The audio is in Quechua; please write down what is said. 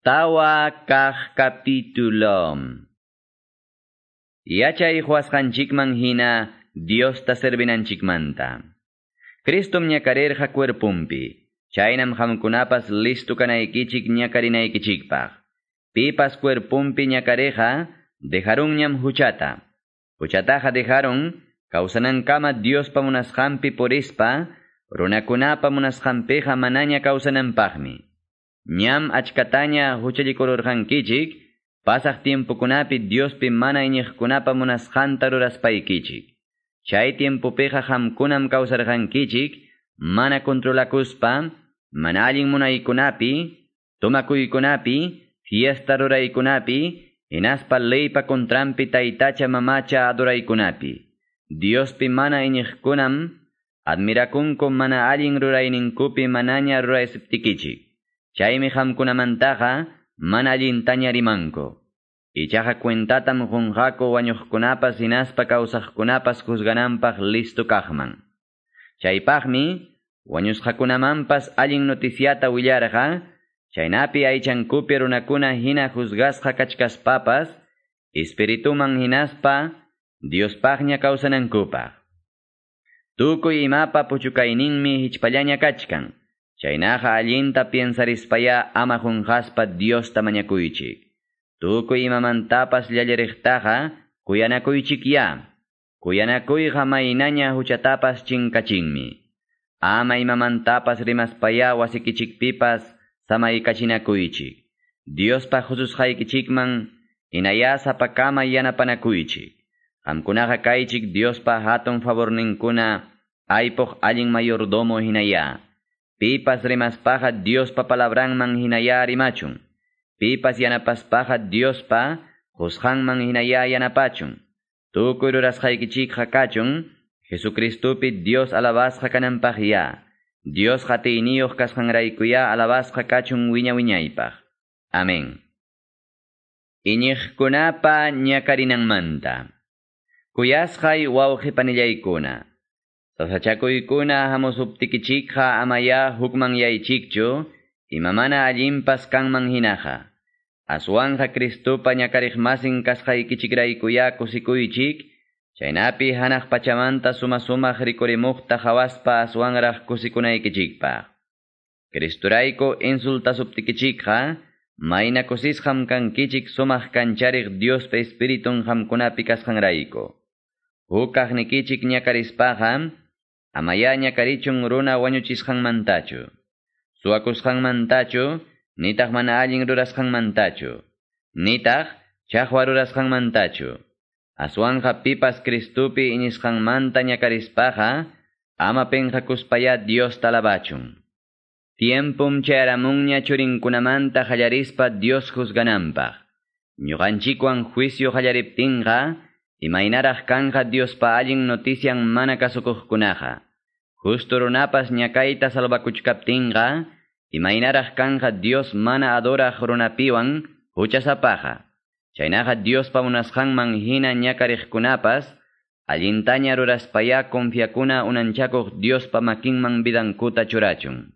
4 kaq capítulo. Yachay huasqanchikman hina Diosta servinanchikmanta. Cristom ñakarirqa cuerpumpi. Chaynam qamkunapas listo kanaykichik ñakarinaykichikpaq. Pipas cuerpumpi ñakariqa dejarunñam huchata. Huchataqa dejarun kawsanankama Diospa munasqanpi purispa runakunapa munasqanpiqa manaña kawsananpaqmi. Ñam achkataña huchallikururqankichik, pasaq tiempokunapi Diospi mana iñiqkunapa munasqanta ruraspaykichik. Chay tiempopiqa qamkunam kawsarqankichik, mana controlakuspa, mana allin munaykunapi, tomakuykunapi, fiesta ruraykunapi, hinaspa leypa contranpi taytacha mamacha adoraykunapi. Diospi mana iñiqkunam, admirakunku mana allin rurayninkupi manaña ruraysiptikichik. Chaymi qamkunamantaqa mana allintaña rimanku. Ichaqa cuentatam qunqaku wañuqkunapas hinaspa kawsaqkunapas juzgananpaq listo kaqman. Chaypaqmi wañusqakunamanpas allin noticiata willarqa, chaynapi aychankupi runakuna hina juzgasqa kachkaspapas, espirituman hinaspa Diospaqña kawsanankupaq. Tukuy imapa puchukayninmi hichpallaña kachkan. Chaynaqa allinta piensarispaya ama qunqaspa Diosta mañakuychik. Tukuy imamantapas llalliriqtaqa kuyanakuychik ya. Kuyanakuyqa maynaña huchatapas chinkachinmi. Ama imamantapas rimaspaya wasikichikpipas samaykachinakuychik. Diospa hususqaykichikman hinaya sapakama yanapanakuychik. Qamkunaqa kaychik Diospa hatun favorninkuna aypuq allin mayordomo hinaya. Pipas rimaspaqa Diospa palabranman hinaya rimachun. Pipas yanapaspaqa Diospa qusqanman hinaya yanapachun. Tukuy rurasqaykichikqa kachun, Jesucristopi Dios alabasqa kananpaq ya. Dios atiyniyuq kasqanraykuya alabasqa kachun wiña wiñaypaq. Amén. Iñiqkunapa ñakarinanmanta. Kuyasqay wawqi panillaykuna. Sasachakuykuna hamusuptikichikqa amaya hukmanyaychikchu, imamana allinpas kanman hinaqa. Aswanqa Cristopa ñakariqmasin kasqaykichikraykuya kusikuychik, chaynapi hanaq pachamanta suma sumaq rikurimuqta qhawaspa aswanraq kusikunaykichikpaq. Cristorayku insultasuptikichikqa, mayna kusisqam kankichik sumaq kanchariq Diospa Espiritun qamkunapi kasqanrayku. Huk kaqnikichik ñakarispaqa, amaya ñakarichun runa wañuchisqanmantachu. Suwakusqanmantachu, nitaq mana allin rurasqanmantachu. Nitaq chaqwa rurasqanmantachu. Aswanqa pipas Cristopi iñisqanmanta ñakarispaqa, ama penqakuspaya Diosta alabachun. Tiempum chayaramunña churinkunamanta qallarispa Dios juzgananpaq. Ñuqanchikwan juicio qallariptinqa, imaynaraq kanqa Diospa allin notician mana kasukuqkunaqa. Justo runapas ñakayta salvakuchkaptinqa, imaynaraq kanqa Dios mana adoraq runapiwan huchasapaqa. Chaynaqa Diospa munasqanman hina ñakariqkunapas, allintaña ruraspaya confiakuna unanchakuq Diospa makinman vidankuta churachun.